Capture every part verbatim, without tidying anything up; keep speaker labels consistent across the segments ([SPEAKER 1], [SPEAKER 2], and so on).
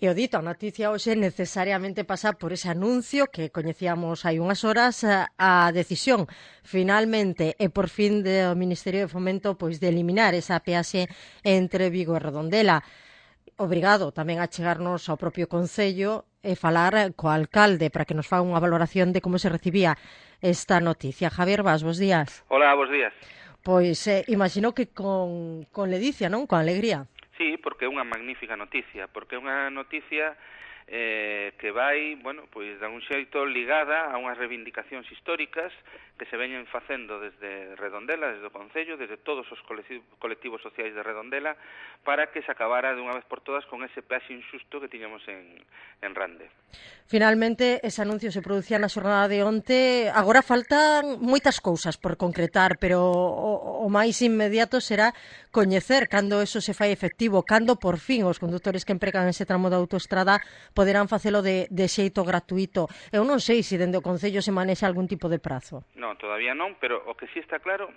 [SPEAKER 1] E o dito, a noticia hoxe necesariamente pasa por ese anuncio que coñecíamos hai unhas horas, a decisión finalmente e por fin do Ministerio de Fomento pois de eliminar esa peaxe entre Vigo e Redondela. Obrigado tamén a chegarnos ao propio Concello e falar co alcalde para que nos faga unha valoración de como se recibía esta noticia. Javier Bas, bos días.
[SPEAKER 2] Hola, bos días.
[SPEAKER 1] Pois eh, imagino que con, con ledicia, non? Con alegría.
[SPEAKER 2] Sí, porque é unha magnífica noticia, porque é unha noticia eh, que vai, bueno, pois de un xeito ligada a unhas reivindicacións históricas que se veñen facendo desde Redondela, desde o Concello, desde todos os colectivos sociais de Redondela, para que se acabara de unha vez por todas con ese peaxe injusto que tiñamos en, en Rande.
[SPEAKER 1] Finalmente, ese anuncio se producía na xornada de onte. Agora faltan moitas cousas por concretar, pero o, o máis inmediato será coñecer cando eso se fai efectivo, cando por fin os condutores que empregan ese tramo da autoestrada poderán facelo de, de xeito gratuito. Eu non sei se dende o Concello se manexa algún tipo de prazo.
[SPEAKER 2] Non, todavía non, pero o que sí está claro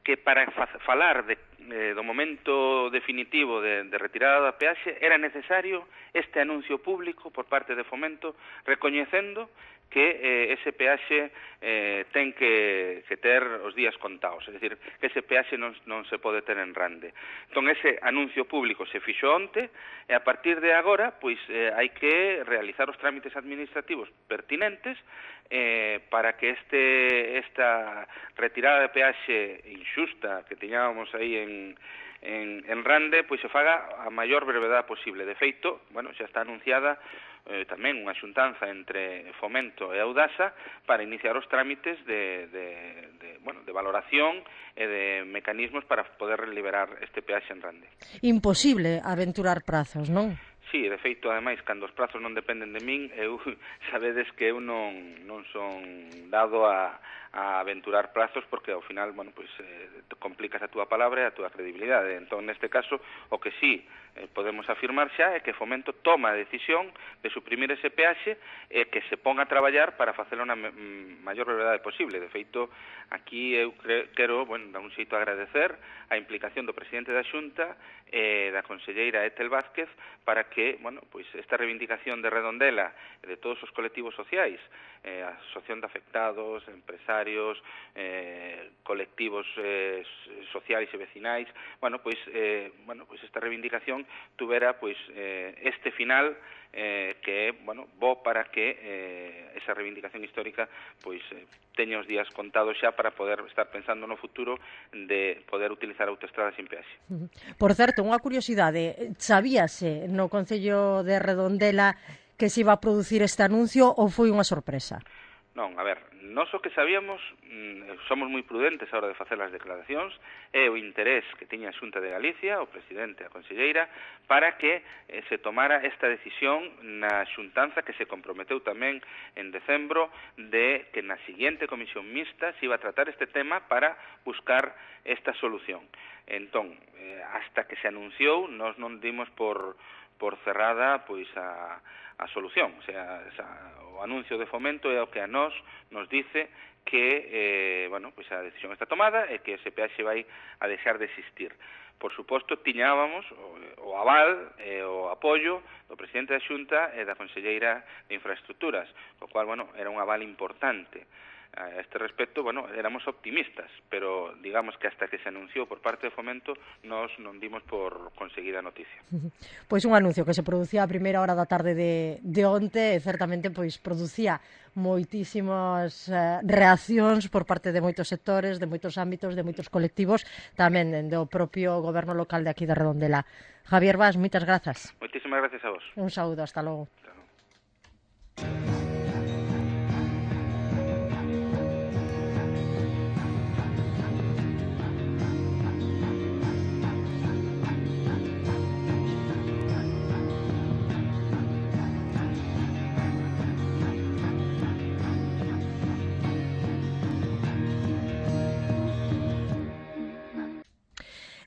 [SPEAKER 2] que para falar de, eh, do momento definitivo de, de retirada da peaxe era necesario este anuncio público por parte de Fomento recoñecendo que eh, ese peaxe eh, ten que, que ter os días contados, é dicir, que ese peaxe non, non se pode ter en Rande. Entón, ese anuncio público se fixo onte, e a partir de agora, pois, eh, hai que realizar os trámites administrativos pertinentes eh, para que este esta retirada de peaxe injusta que tiñábamos aí en, en, en Rande, pois se faga a maior brevedade posible. De feito, bueno, xa está anunciada Eh, tamén unha xuntanza entre Fomento e Audasa para iniciar os trámites de, de, de, bueno, de valoración e de mecanismos para poder liberar este peaxe en Rande.
[SPEAKER 1] Imposible aventurar prazos, non?
[SPEAKER 2] Sí, de feito, ademais, cando os prazos non dependen de min, eu sabedes que eu non, non son dado a, a aventurar prazos porque ao final, bueno, pois eh, complicas a túa palabra e a túa credibilidade. Entón, neste caso, o que sí eh, podemos afirmar xa é que Fomento toma a decisión de suprimir ese peaxe e que se ponga a traballar para facelo na maior brevedade posible. De feito, aquí eu quero, bueno, dar un xeito agradecer a implicación do presidente da Xunta e da conselleira Etel Vázquez para que, bueno, pois esta reivindicación de Redondela e de todos os colectivos sociais, eh, a asociación de afectados, empresarios, eh, colectivos eh, sociais e vecinais, bueno, pois eh, bueno, pois esta reivindicación tuvera pois eh, este final eh, que é, bueno, bo para que eh, esa reivindicación histórica pois eh, teña os días contados xa para poder estar pensando no futuro de poder utilizar a autoestrada sin peaxe.
[SPEAKER 1] Por certo, unha curiosidade, sabíase no Concello de Redondela que se iba a producir este anuncio ou foi unha sorpresa?
[SPEAKER 2] Non, a ver, nós o que sabíamos, somos moi prudentes a hora de facer as declaracións, é o interés que tiña a Xunta de Galicia, o presidente e a conselleira, para que eh, se tomara esta decisión na xuntanza que se comprometeu tamén en decembro de que na seguinte comisión mixta se iba a tratar este tema para buscar esta solución. Entón, eh, hasta que se anunciou, nós non dimos por, por cerrada pois a a solución, o sea, esa, o anuncio de Fomento é o que a nós nos dice que, eh, bueno, pois a decisión está tomada e que ese peaxe vai a deixar de existir. Por suposto, tiñábamos o, o aval e o apoio do presidente da Xunta e da conselleira de Infraestructuras, o cual, bueno, era un aval importante. A este respecto, bueno, éramos optimistas, pero digamos que hasta que se anunciou por parte de Fomento nos non dimos por conseguida a noticia.
[SPEAKER 1] Pois un anuncio que se producía a primeira hora da tarde de, de onte e certamente pois producía moitísimas eh, reaccións por parte de moitos sectores, de moitos ámbitos, de moitos colectivos, tamén do propio goberno local de aquí de Redondela. Javier Bas, moitas grazas.
[SPEAKER 2] Moitísimas gracias a vos.
[SPEAKER 1] Un saúdo, hasta logo.
[SPEAKER 2] Hasta logo.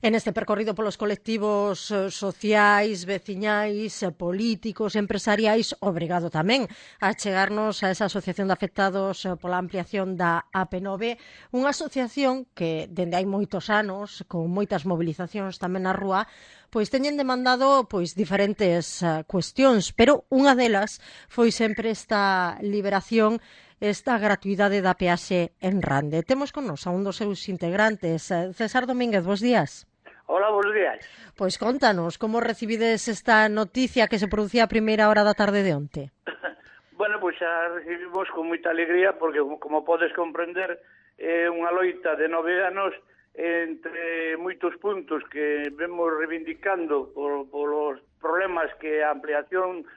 [SPEAKER 1] En este percorrido polos colectivos eh, sociais, veciñais, eh, políticos, empresariais, obrigado tamén a chegarnos a esa asociación de afectados eh, pola ampliación da A P nove, unha asociación que, dende hai moitos anos, con moitas movilizacións tamén na rúa, pois teñen demandado pois diferentes uh, cuestións, pero unha delas foi sempre esta liberación, esta gratuidade da peaxe en Rande. Temos con nos a un dos seus integrantes, César Domínguez, bos días.
[SPEAKER 3] Hola, bos días.
[SPEAKER 1] Pois contanos, como recibides esta noticia que se producía a primeira hora da tarde de onte?
[SPEAKER 3] Bueno, pois xa recibimos con moita alegría, porque, como podes comprender, é unha loita de nove anos entre moitos puntos que vemos reivindicando por, por os problemas que a ampliación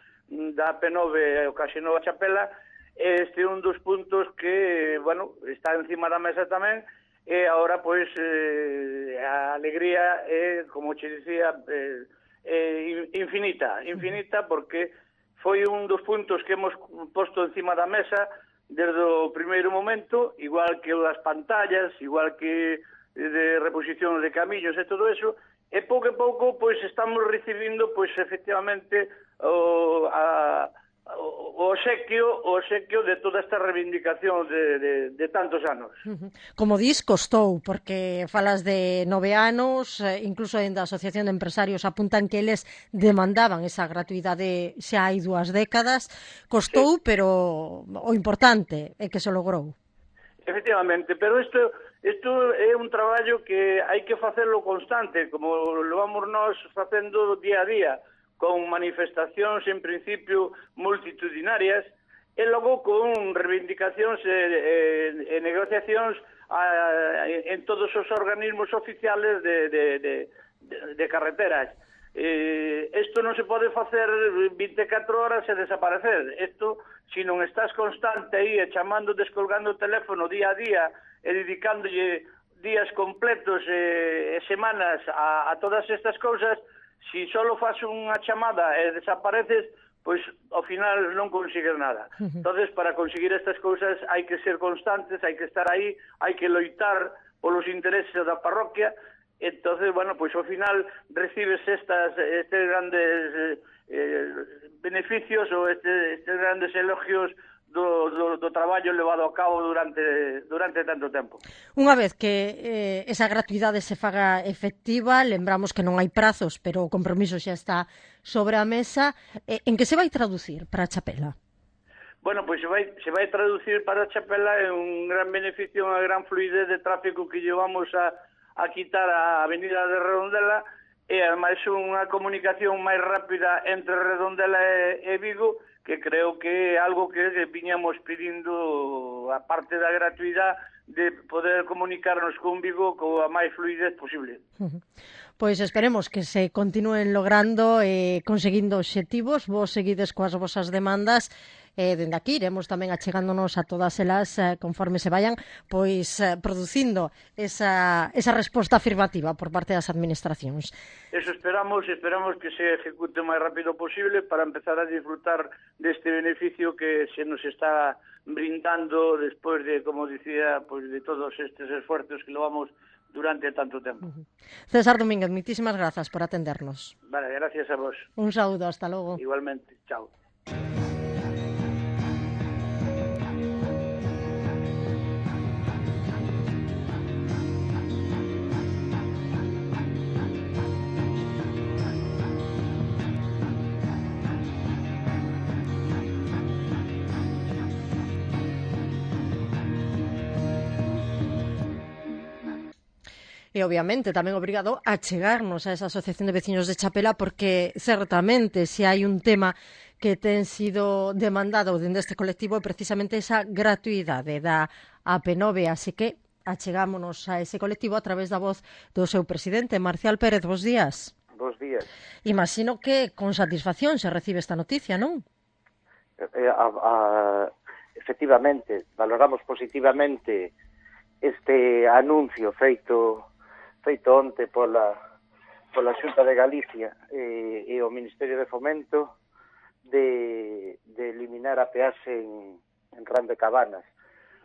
[SPEAKER 3] da A P nove ocasionou a Chapela. Este é un dos puntos que, bueno, está encima da mesa tamén, e agora, pois, eh, a alegría é, como che dicía, eh, eh, infinita, infinita, porque foi un dos puntos que hemos posto encima da mesa desde o primeiro momento, igual que as pantallas, igual que de reposición de camiños e todo eso, e pouco a pouco, pois, estamos recibindo, pois, efectivamente, o, a, o obsequio, o obsequio de toda esta reivindicación de, de, de tantos anos.
[SPEAKER 1] Como dis, costou, porque falas de nove anos, incluso en da Asociación de Empresarios apuntan que eles demandaban esa gratuidade xa hai dúas décadas. Costou, sí, pero o importante é que se logrou.
[SPEAKER 3] Efectivamente, pero isto, isto é un traballo que hai que facelo constante, como lo vamos nós facendo día a día, con manifestacións, en principio, multitudinarias, e logo con reivindicacións e, e, e negociacións a, en todos os organismos oficiales de, de, de, de carreteras. Isto eh, non se pode facer vinte e catro horas e desaparecer. Isto, se non estás constante aí e chamando, descolgando o teléfono día a día e dedicándolle días completos e, e semanas a, a todas estas cousas, si solo faz unha chamada e desapareces, pois ao final non consigues nada. Entonces, para conseguir estas cousas hai que ser constantes, hai que estar aí, hai que loitar polos intereses da parroquia. Entonces, bueno, pois ao final recibes estas estes grandes eh, beneficios ou este, estes grandes elogios Do, do, do traballo levado a cabo durante, durante tanto tempo.
[SPEAKER 1] Unha vez que eh, esa gratuidade se faga efectiva, lembramos que non hai prazos, pero o compromiso xa está sobre a mesa, eh, en que se vai traducir para a Chapela?
[SPEAKER 3] Bueno, pois se vai, se vai traducir para a Chapela en un gran beneficio, unha gran fluidez de tráfico que llevamos a, a quitar a avenida de Redondela, e ademais unha comunicación máis rápida entre Redondela e, e Vigo, que creo que é algo que viñamos pedindo, a parte da gratuidade, de poder comunicarnos con Vigo coa máis fluidez posible.
[SPEAKER 1] Pois esperemos que se continúen logrando e eh, conseguindo obxectivos. Vos seguides coas vosas demandas. E eh, dende aquí iremos tamén achegándonos a todas elas eh, conforme se vayan pois eh, producindo esa, esa resposta afirmativa por parte das administracións.
[SPEAKER 3] Eso esperamos, esperamos que se ejecute o máis rápido posible para empezar a disfrutar deste beneficio que se nos está brindando despois de, como dicía, pues de todos estes esfuerzos que lo vamos durante tanto tempo.
[SPEAKER 1] Uh-huh. César Domínguez, muchísimas grazas por atendernos.
[SPEAKER 3] Vale, gracias a vos.
[SPEAKER 1] Un saúdo, hasta logo.
[SPEAKER 3] Igualmente, chao.
[SPEAKER 1] E, obviamente, tamén obrigado a chegarnos a esa Asociación de Veciños de Chapela, porque, certamente, se hai un tema que ten sido demandado dende este colectivo é precisamente esa gratuidade da A P nove, así que achegámonos a ese colectivo a través da voz do seu presidente, Marcial Pérez. Bos días.
[SPEAKER 4] Bos días.
[SPEAKER 1] Imagino que con satisfacción se recibe esta noticia, non?
[SPEAKER 4] Eh, a, a, efectivamente, valoramos positivamente este anuncio feito feito onte pola, pola Xunta de Galicia e, e o Ministerio de Fomento de, de eliminar a peaxe en, en Rande Cabanas.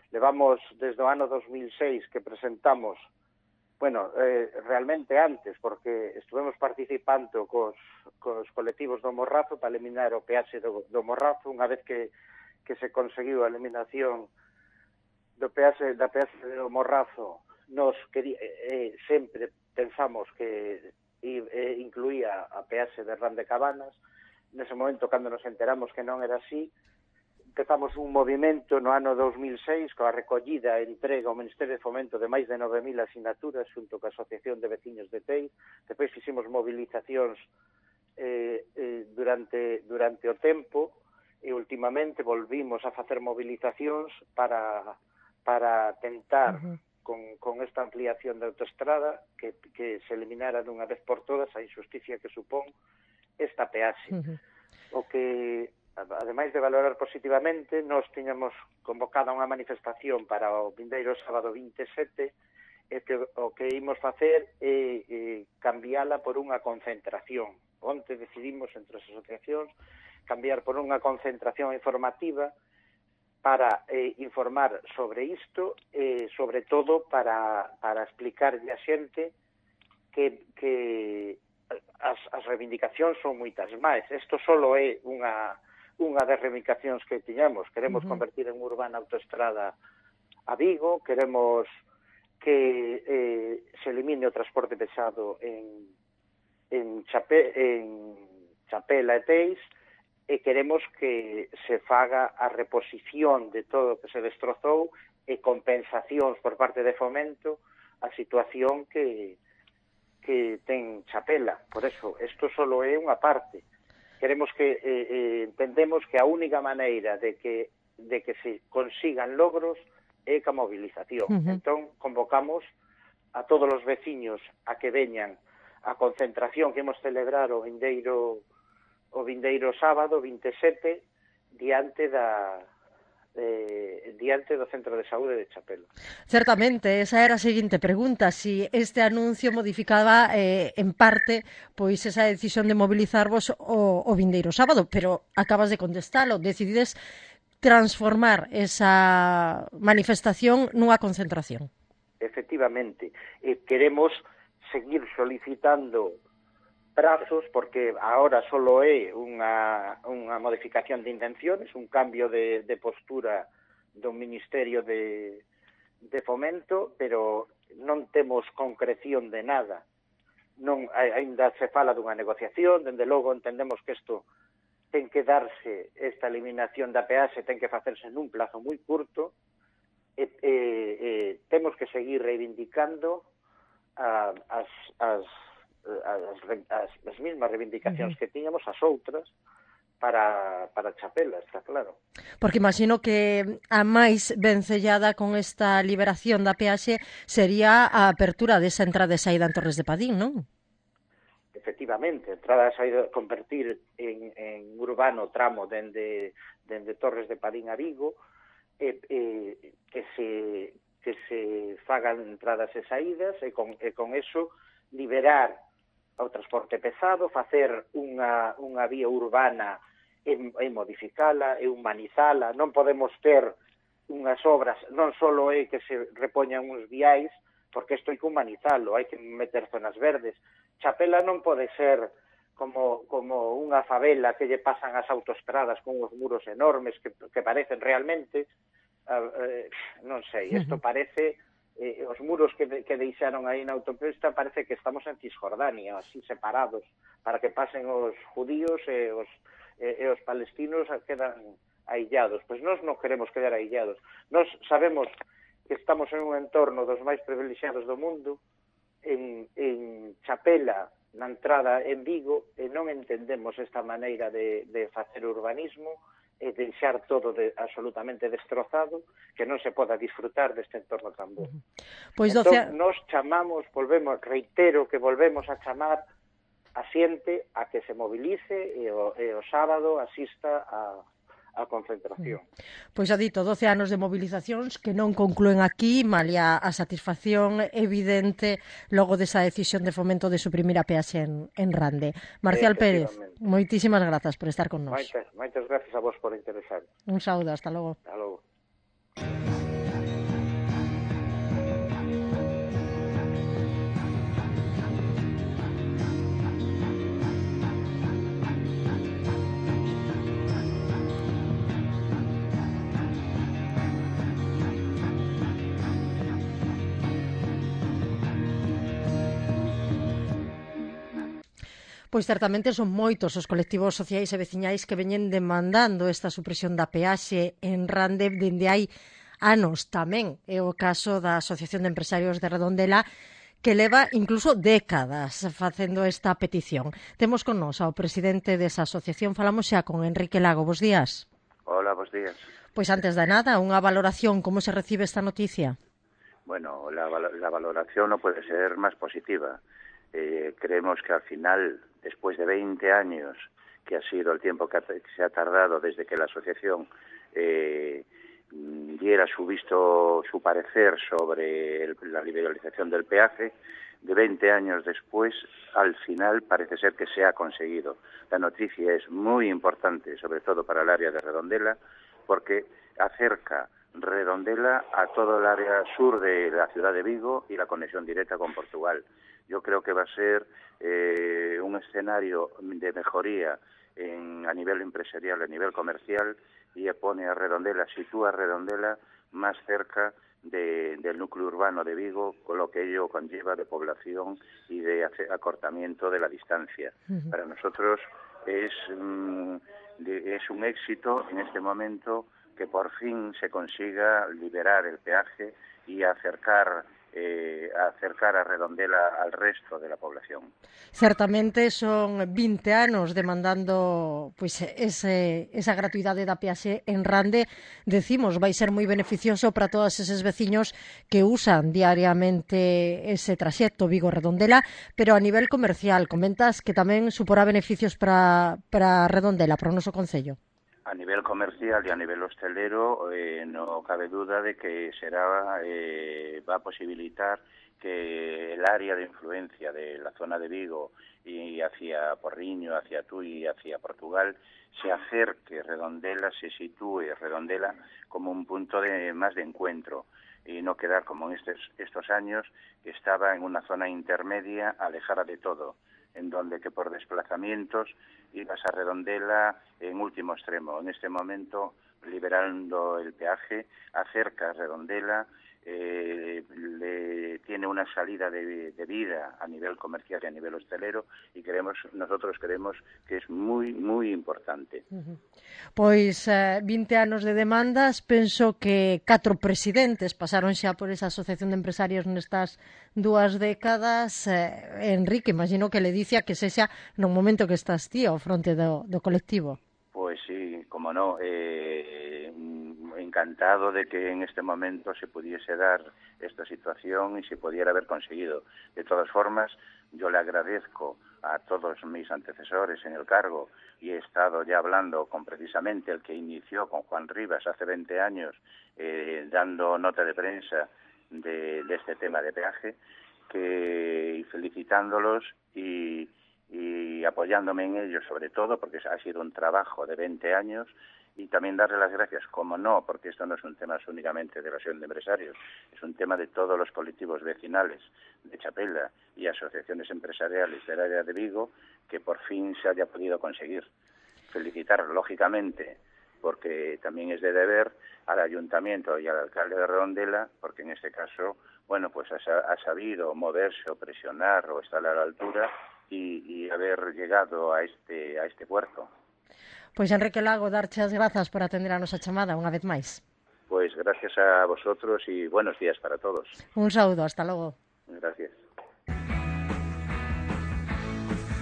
[SPEAKER 4] Levamos desde o ano dos mil seis que presentamos Bueno, eh, realmente antes, porque estuvemos participando cos, cos colectivos do Morrazo para eliminar o peaxe do, do Morrazo, unha vez que, que se conseguiu a eliminación do peaxe, da peaxe do Morrazo, nos quería, eh, sempre pensamos que eh, incluía a peaxe de Ran de Cabanas. Nese momento, cando nos enteramos que non era así, empezamos un movimento no ano dos mil seis coa recollida e entrega ao Ministerio de Fomento de máis de nove mil asinaturas xunto coa Asociación de Veciños de Tei. Depois fixemos movilizacións eh, eh, durante, durante o tempo e últimamente volvimos a facer movilizacións para, para tentar uh -huh. con, con esta ampliación da autoestrada que, que se eliminara dunha vez por todas a injusticia que supón esta peaxe. Uh -huh. O que, ademais de valorar positivamente, nós tiñamos convocada unha manifestación para o vindeiro sábado vinte e sete e que o que imos facer é, é cambiala por unha concentración. Onte decidimos entre as asociacións cambiar por unha concentración informativa para eh, informar sobre isto e, sobre todo, para, para explicarlle a xente que, que as, as reivindicacións son moitas máis. Isto solo é unha, unha das reivindicacións que tiñamos. Queremos uh -huh. convertir en urbana autoestrada a Vigo, queremos que eh, se elimine o transporte pesado en, en, Chape, en Chapela e Teis, e queremos que se faga a reposición de todo o que se destrozou e compensacións por parte de Fomento a situación que, que ten Chapela. Por eso, isto solo é unha parte. Queremos que, eh, eh, entendemos que a única maneira de que, de que se consigan logros é ca movilización. Uh -huh. Entón, convocamos a todos os veciños a que veñan a concentración que imos celebrar o vindeiro o vindeiro sábado vinte e sete diante da eh, diante do Centro de Saúde de Chapela.
[SPEAKER 1] Certamente, esa era a seguinte pregunta, si este anuncio modificaba eh, en parte pois esa decisión de mobilizarvos o, o vindeiro sábado, pero acabas de contestalo, decidides transformar esa manifestación nunha concentración.
[SPEAKER 4] Efectivamente, eh, queremos seguir solicitando prazos, porque agora solo é unha, unha modificación de intenciones, un cambio de, de postura do Ministerio de, de Fomento, pero non temos concreción de nada. Non, ainda se fala dunha negociación, dende logo entendemos que isto ten que darse, esta eliminación da peaxe ten que facerse nun plazo moi curto, e, e, e temos que seguir reivindicando a, as, as As, as, as mismas reivindicacións uh -huh. que tiñamos, as outras, para, para Chapela, está claro.
[SPEAKER 1] Porque imagino que a máis vencellada con esta liberación da peaxe sería a apertura desa entrada e saída en Torres de Padín, non?
[SPEAKER 4] Efectivamente, entrada e saída, convertir en, en urbano tramo dende, dende Torres de Padín a Vigo, e, e, que, se, que se fagan entradas e saídas, e con, e con eso liberar ao transporte pesado, facer unha, unha vía urbana e, e modificala, e humanizala. Non podemos ter unhas obras, non só é que se repoñan uns viais, porque isto hai que humanizalo, hai que meter zonas verdes. Chapela non pode ser como, como unha favela que lle pasan as autoestradas con uns muros enormes que, que parecen realmente, uh, eh, non sei, isto parece... Eh, os muros que, de, que deixaron aí na autopista parece que estamos en Cisjordania, así separados, para que pasen os judíos e os, e, e os palestinos quedan aillados. Pois nós non queremos quedar aillados. Nós sabemos que estamos en un entorno dos máis privilexiados do mundo, en, en Chapela, na entrada en Vigo, e non entendemos esta maneira de, de facer urbanismo e deixar todo de, absolutamente destrozado, que non se poda disfrutar deste entorno tan bo.
[SPEAKER 1] Pois
[SPEAKER 4] entón,
[SPEAKER 1] doce...
[SPEAKER 4] nos chamamos, volvemos, reitero que volvemos a chamar a xente a que se movilice e o, e o sábado asista a, a concentración.
[SPEAKER 1] Pois xa dito, doce anos de movilizacións que non concluen aquí, malia a satisfacción evidente logo desa decisión de Fomento de suprimir a peaxe en, en Rande. Marcial Pérez, moitísimas grazas por estar con nós.
[SPEAKER 4] Moitas, moitas gracias a vos por interesar.
[SPEAKER 1] Un saúdo, hasta logo.
[SPEAKER 4] Hasta logo.
[SPEAKER 1] Pois certamente son moitos os colectivos sociais e veciñais que veñen demandando esta supresión da peaxe en Rande dende hai anos. Tamén é o caso da Asociación de Empresarios de Redondela, que leva incluso décadas facendo esta petición. Temos con nos ao presidente desa asociación, falamos xa con Enrique Lago. Bos días.
[SPEAKER 5] Hola, bos días.
[SPEAKER 1] Pois antes de nada, unha valoración, como se recibe esta noticia?
[SPEAKER 5] Bueno, la, la valoración no puede ser más positiva. Eh, creemos que al final, después de veinte años, que ha sido el tiempo que, ha, que se ha tardado desde que la asociación eh, diera su visto, su parecer sobre el, la liberalización del peaje, de veinte años después, al final parece ser que se ha conseguido. La noticia es muy importante, sobre todo para el área de Redondela, porque acerca Redondela a todo el área sur de la ciudad de Vigo y la conexión directa con Portugal. Yo creo que va a ser eh, un escenario de mejoría en, a nivel empresarial, a nivel comercial, y pone a Redondela, sitúa a Redondela más cerca de, del núcleo urbano de Vigo, con lo que ello conlleva de población y de acortamiento de la distancia. Uh-huh. Para nosotros es, mm, de, es un éxito en este momento que por fin se consiga liberar el peaje y acercar eh, acercar a Redondela al resto de la población.
[SPEAKER 1] Certamente son vinte anos demandando pois, ese, esa gratuidade da peaxe en Rande. Decimos, vai ser moi beneficioso para todos eses veciños que usan diariamente ese traxecto Vigo-Redondela, pero a nivel comercial, comentas que tamén suporá beneficios para, para Redondela, para o noso concello.
[SPEAKER 5] A nivel comercial y a nivel hostelero eh, no cabe duda de que será eh, va a posibilitar que el área de influencia de la zona de Vigo y hacia Porriño, hacia Tui y hacia Portugal se acerque, Redondela se sitúe, Redondela como un punto de más de encuentro y no quedar como en estos, estos años que estaba en una zona intermedia alejada de todo, en donde que por desplazamientos ibas a Redondela en último extremo. En este momento, liberando el peaje, acerca a Redondela, eh, le, tiene una salida de, de vida a nivel comercial y a nivel hostelero y creemos, nosotros creemos que es muy, muy importante.
[SPEAKER 1] Uh-huh. Pois eh, vinte anos de demandas, penso que catro presidentes pasaron xa por esa asociación de empresarios nestas dúas décadas. eh, Enrique, imagino que le dicia que sexa no momento que estás ti ao fronte do, do colectivo.
[SPEAKER 5] Pues sí, como no, eh, encantado de que en este momento se pudiese dar esta situación y se pudiera haber conseguido. De todas formas, yo le agradezco a todos mis antecesores en el cargo y he estado ya hablando con precisamente el que inició con Juan Rivas hace veinte años, eh, dando nota de prensa de, de este tema de peaje, que, y felicitándolos y y apoyándome en ello sobre todo porque ha sido un trabajo de veinte años y también darle las gracias, como no, porque esto no es un tema únicamente de la asociación de empresarios, es un tema de todos los colectivos vecinales de Chapela y asociaciones empresariales del área de Vigo que por fin se haya podido conseguir. Felicitar, lógicamente, porque también es de deber al ayuntamiento y al alcalde de Redondela, porque en este caso, bueno, pues ha, ha sabido moverse o presionar o estar a la altura y, y haber llegado a este a este puerto.
[SPEAKER 1] Pois Enrique Lago, darche as grazas por atender a nosa chamada unha vez máis.
[SPEAKER 5] Pues gracias a vosotros y buenos días para todos.
[SPEAKER 1] Un saúdo, hasta logo.
[SPEAKER 5] Gracias.